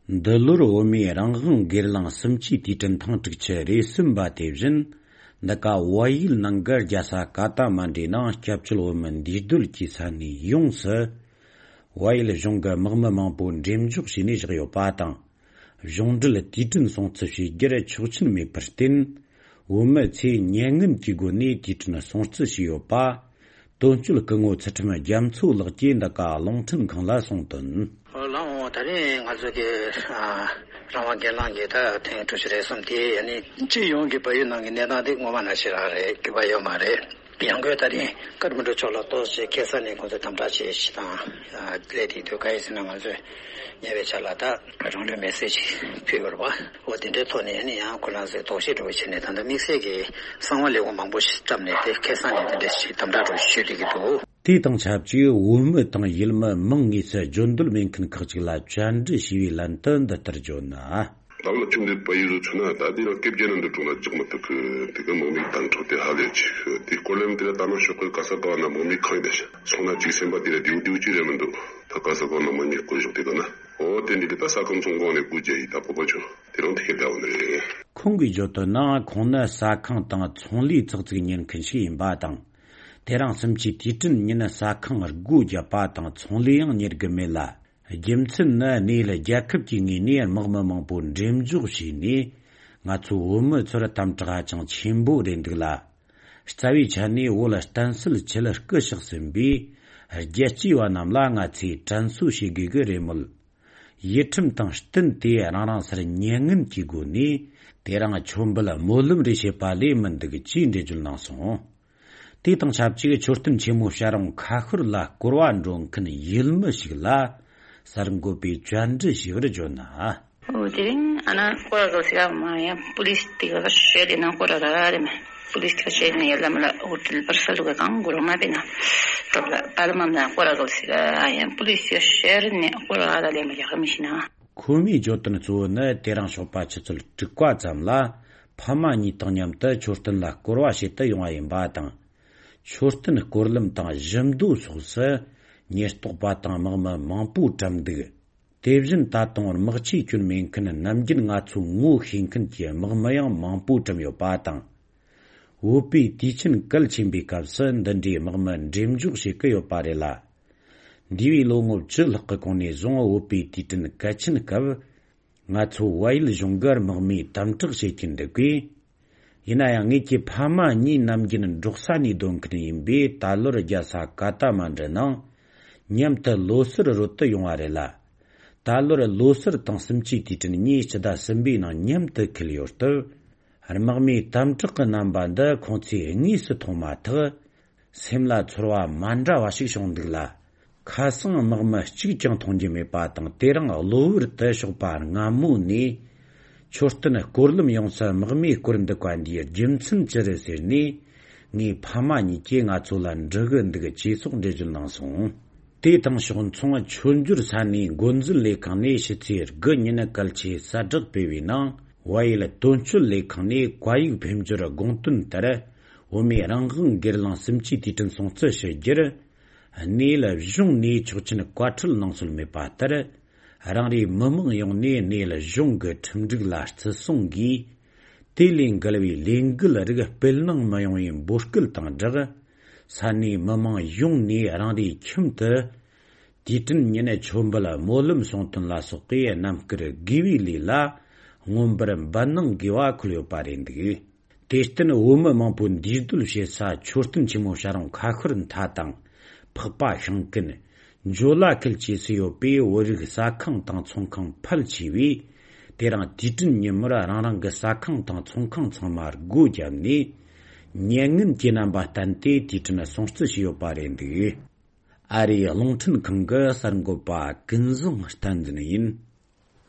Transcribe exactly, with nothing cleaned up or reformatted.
འདི་ལོར་བོད་མིའི་རང་དབང་སྒེར་ལངས་གསུམ་བཅུའི་དུས་དྲན་ཐེངས་དྲུག་ཅུ་རེ་གསུམ་པ་དེ་བཞིན། འདི་ག་བལ་ཡུལ་ནང་གི་རྒྱལ་ས་ཀ་ཐ་མན་ཌུའི་ནང་སྐྱབས་བཅོལ་བོད་མི་འདུས་སྡོད་ཀྱི་ས་གནས་ཡོངས་སུ། བལ་ཡུལ་གཞུང་གི་དམག་མི་མང་པོ་འགྲེམས་འཇོག་བྱས་ནས་བཞག་ཡོད་པ་དང་། གཞུང་འབྲེལ་དུས་དྲན་སྲུང་བརྩི་བྱེད་རྒྱུར་ཆོག་མཆན་མེད་པར་བརྟེན། བོད་མི་ཚོས་མྱ་ངན་གྱི་སྒོ་ནས་དུས་དྲན་སྲུང་བརྩི་བྱས་ཡོད་པ། དོན་གཅོད་སྐུ་ངོ་ཚུལ་ཁྲིམས་རྒྱ་མཚོ་ལགས་ཀྱིས་འདི་ག་རླུང་འཕྲིན་ཁང་ལ་གསུངས་དོན། ལགས་འོང་། ད་རིང་ང་ཚོ་གི་ཨ་རང་དབང་སྒེར་ལངས་ཀྱི་ད་ཐེངས་དྲུག་ཅུ་རེ་གསུམ་དེ་ཨ་ནི་སྤྱི་ཡོངས་ཀྱི་བལ་ཡུལ་ནང་གི་གནས་སྟངས་དེ་སྔོན་མ་ནང་བཞིན་རང་རེད། འགྱུར་བ་ཡོད་མ་རེད། ཡང་སྒོས་ད་རིང་ཀ་ཐ་མན་ཌུ་ཕྱོགས་ལ་གཏོགས་བྱས་ཁ་སང་ནས་ཁོང་ཚོས་དམ་དྲག་བྱས་ཤིག་དང་ཨ་སླེབས་དེ་དུས་ག་ཡིན་ཟེར་ན་ང་ཚོས་ཉེ་བའི་ཆར་ལ་ད་རང་ལུས་མེར་སྲེག་ཅིག་ཕུལ་ཡོད་རེད་པ། འོ་དེ་འདྲའི་ཐོག་ནས་ཨ་ནི་ཡང་ཁོ་རང་ཚོས་དོགས་གཞི་འདྲ་བོ་བྱས་ནས་ད་ལྟ་དམིགས་བསལ་གྱི་གསང་བ་ལས་ཁུངས་མང་པོ་ཞིག་བཀྲམ་ནས་དེ་ཁ་སང་ནས་དེ་འདྲ་ཞིག་དམ་དྲག་འདྲ་བོ་ཞིག་ཞུས་བསྡད་ཀྱི་འདུག། དེ་དང་ཆབས་ཅིག་བོད་མི་དང་ཡུལ་མི་མིང་དངོས་སུ་བརྗོད་འདོད་མེད་མཁན་ཁག་ཅིག་ལ་བཅར་འདྲི་ཞུས་པའི་ལན་དུ་འདི་ལྟར་བརྗོད་ན། ད་ལོ་ཆུང་དུས་བལ་ཡུལ་ཚུད་ན་ད་དེ་ལ་སྐད་ཆ་ནང་འདི་དྲུང་ལ་འཇོག་མི་ཐུབ་གི། དེ་ག་དམག་མིའི་དམ་དྲག་དེ་ཧ་ལས་ཆེ་གི། དེ་སྐོར་ལམ་དེ་ལ་ད་ནང་ཤོག་གི་ག་ས་ག་བ་ན་དམག་མི་གང་ཡིན་ད་སོང་ན་ཅིག་སེམས་པ་དེ་ལ་བདེའུ་བདེའུ་ཅིག་རེད་མི་འདུག། ད་ག་ས་ག་བ་ན་དམག་མི་བསྐོས་ཞོག་དེ་ག་ན་འོ་དེ་འདྲ་གི་ད་ས་ཁམས་ཚོང་ཁང་ནས་སྐུ་རྒྱལ་ཡིན་ད་བོད་པ་ཆོ་དེ་རང་དེ་ག་ད་འོ་ནི་རེད། ཁོང་གིས་བརྗོད་དོན་ན་ཁོང་ནི་ཟ་ཁང་དང་ཚོང་ལས་ཙག་ཙིག་གཉེར་མཁན་ཞིག་ཡིན་པ་དང་། དེ་རིང་གསུམ་བཅུའི་དུས་དྲན་ཉིན་ཟ་ཁང་སྒོ་བརྒྱབ་པ་དང་ཚོང་ལས་ཡང་གཉེར་གི་མེད་ལ། རྒྱུ་མཚན་ནི་གནས་ཡུལ་རྒྱལ་ཁབ་ཀྱི་ངོས་ནས་དམག་མི་མང་པོ་འགྲེམས་འཇོག་བྱས་ནས་ང་ཚོའི་བོད་མི་ཚོར་དམ་དྲག་ཧ་ཅང་ཆེན་པོ་རེད་འདུག་ལ། རྩ་བའི་ཆ་ནས་བོད་ལ་བརྟན་སྲིད་ཆེད་སྐུ་གཤེགས་ཟིན་པའི་རྒྱལ་གཅེས་པ་རྣམས་ལ་ང་ཚོས་དྲན་གསོ་བྱེད་དགོས་ཀྱི་རེད་མོད། ཡིད་ཁྲིམས་དང་བསྟུན་ཏེ་རང་རང་སར་མྱ་ངན་གྱི་སྒོ་ནས་དེ་རིང་མཆོད་འབུལ་སྨོན་ལམ་རེ་བྱེད་པ་ལས་མི་འདུག་ཅེས་འགྲེལ་བརྗོད་གནང་སོང་། དེ་དང་ཆབས་ཅིག་མཆོད་རྟེན་ཆེན་མོ་བྱ་རུང་ཁ་ཤོར་ལ་སྐོར་བ་འགྲོ་མཁན་ཡུལ་མི་ཞིག་ལ་གསར་འགོད་པས་བཅར་འདྲི་ཞུས་པར་བརྗོད་ན། འོ་དེ་རིང་ཨ་ན་སྐོར་ར་གོ་སི་ཡ་མ་ཡ་པུ་ལིས་དེ་ག་བཤད་དེ་ན་སྐོར་ར་ར་རེ་མ་པུ་ལིས་ཁ་བཤད་ནས་ཡ་ལ་མ་ལ་ཧོ་ཏེལ་པར་ས་ལུ་ག་གང་གོ་ར་མ་པེ་ན་ཏོག་ལ་པ་ལ་མ་ན་སྐོར་ར་གོ་སི་ག་ཡ་པུ་ལིས་ཡ་བཤད་ནས་སྐོར་ར་ར་ལེ་མ་ཡ་ག་མི་ཤི་ན། ཁོ་མོའི་བརྗོད་དོན་གཙོ་བོ་ནི་དེ་རིང་ཞོགས་པ་ཆུ་ཚོད་དྲུག་པ་ཙམ་ལ་ཕ་མ་གཉིས་དང་མཉམ་དུ་མཆོད་རྟེན་ལ་སྐོར་བ་བྱེད་དུ་ཡོང་བ་ཡིན་པ་དང་། མཆོད་རྟེན་སྐོར་ལམ་དང་བཞི་མདོ་སོགས་སུ་ཉེན་རྟོག་པ་དང་དམག་མི་མང་པོ་བཀྲམ་འདུག། དེ་བཞིན་ད་དུང་དམག་ཆས་གྱོན་མེད་མཁན་ནམ་རྒྱུན་ང་ཚོས་ངོ་ཤེས་མཁན་གྱི་དམག་མི་ཡང་མང་པོ་བཀྲམ་ཡོད་པ་དང་། བོད་པའི་དུས་ཆེན་གལ་ཆེན་པོའི་སྐབས་སུ་འདི་འདྲའི་དམག་མི་འགྲེམས་འཇོག་བྱེད་ཀྱི་ཡོད་པ་རེད་ལ། འདས་པའི་ལོ་ངོ་བཅུ་ལྷག་གི་གོང་ནས་བཟུང་བོད་པའི་དུས་དྲན་གལ་ཆེན་སྐབས། ང་ཚོ་བལ་ཡུལ་གཞུང་གིས་དམག་མིའི་དམ་དྲག་བྱེད་ཀྱིན་འདུག་གས། ཡིན་ན་ཡང་ངེད་ཀྱི་ཕ་མ་གཉིས་ནམ་རྒྱུན་འབྲོག་ས་ནས་སྡོད་མཁན་ཡིན་པས་ད་ལོར་རྒྱལ་ས་ཀ་ཐ་མན་ཌུ་ནང་མཉམ་དུ་ལོ་སར་རོལ་དུ་ཡོང་བ་རེད་ལ། ད་ལོར་ལོ་སར་དང་གསུམ་བཅུའི་དུས་དྲན་གཉིས་སྤྱི་ཟླ་གསུམ་པའི་ནང་མཉམ་དུ་འཁེལ་ཡོད་སྟབས། དམག་མིའི་དམ་དྲག་གི་རྣམ་པ་འདི་ཁོང་ཚོས་དངོས་སུ་མཐོང་མ་ཐག་སེམས་ལ་ཚོར་བ་མ་འདྲ་བ་ཞིག་བྱུང་འདུག་ལ། ཁ་སང་དམག་མི་གཅིག་ཀྱང་མཐོང་རྒྱུ་མེད་པ་དང་། དེ་རིང་གློ་བུར་དུ་ཞོགས་པ་སྔ་མོ་ནས་མཆོད་རྟེན་སྐོར་ལམ་ཡོངས་སུ་དམག་མིས་བསྐོར་འདུག་པ་འདིའི་རྒྱུ་མཚན་ཅི་རེད་ཟེར་ནས། ངའི་ཕ་མ་གཉིས་ཀྱིས་ང་ཚོ་ལ་འདྲི་གི་འདུག་ཅེས་སོགས་འགྲེལ་བརྗོད་གནང་སོང་། དེ་དང་ཕྱོགས་མཚུངས། མཆོད་འཇོར་ས་གནས་འགོ་འཛིན་ལས་ཁང་ནས་ཕྱི་ཚེས་དགུ་ཉིན་གལ་ཆེའི་གསལ་བསྒྲགས་སྤེལ་བའི་ནང་། བལ་ཡུལ་དོན་གཅོད་ལས་ཁང་ནས་བཀའ་ཡིག་འཕེན་འབྱོར་དགོངས་དོན་ལྟར། བོད་མིའི་རང་དབང་སྒེར་ལངས་གསུམ་བཅུའི་དུས་དྲན་སྲུང་བརྩི་ཞུ་རྒྱུར། གནས་ཡུལ་གཞུང་ནས་ཆོག་མཆན་བཀའ་འཁྲོལ་གནང་སྲོལ་མེད་པ་ལྟར། རང་རེའི་མི་མང་ཡོངས་ནས་གནས་ཡུལ་གཞུང་གི་ཁྲིམས་སྒྲིག་ལ་བརྩི་སྲུང་གིས། དེ་ལས་འགལ་བའི་ལས་འགུལ་རིགས་སྤེལ་གནང་མི་ཡོང་བའི་འབོད་སྐུལ་དང་སྦྲགས། ས་གནས་མི་མང་ཡོངས་ནས་རང་རེའི་ཁྱིམ་དུ། དུས་དྲན་ཉིན་མཆོད་འབུལ་སྨོན་ལམ་གསུང་དོན་ལ་སོགས་པའི་རྣམ་དཀར་དགེ་བའི་ལས་ལ་མངོན་པར་འབད་གནང་དགོས་པ་འཁོད་ཡོད་པ་རེད་འདུག། དེར་བརྟེན་བོད་མི་མང་པོ་འདུས་སྡོད་བྱེད་ས་མཆོད་རྟེན་ཆེན་མོ་བྱ་རུང་ཁ་ཤོར་མཐའ་དང་། འཕགས་པ་ཤིང་ཀུན། འཇོ་ལ་ཁུལ་བཅས་སུ་ཡོད་པའི་བོད་རིགས་ཟ་ཁང་དང་ཚོང་ཁང་ཕལ་ཆེ་བས། དེ་རིང་དུས་དྲན་ཉིན་མོར་རང་རང་གི་ཟ་ཁང་དང་ཚོང་ཁང་ཚང་མ་སྒོ་བརྒྱབ་ནས། མྱ་ངན་གྱི་རྣམ་པ་བསྟན་ཏེ་དུས་དྲན་སྲུང་བརྩི་བྱས་ཡོད་པ་རེད་འདུག། ཨ་རིའི་རླུང་འཕྲིན་ཁང་གི་གསར་འགོད་པ་ཀུན་བཟང་བསྟན་འཛིན་ཡིན།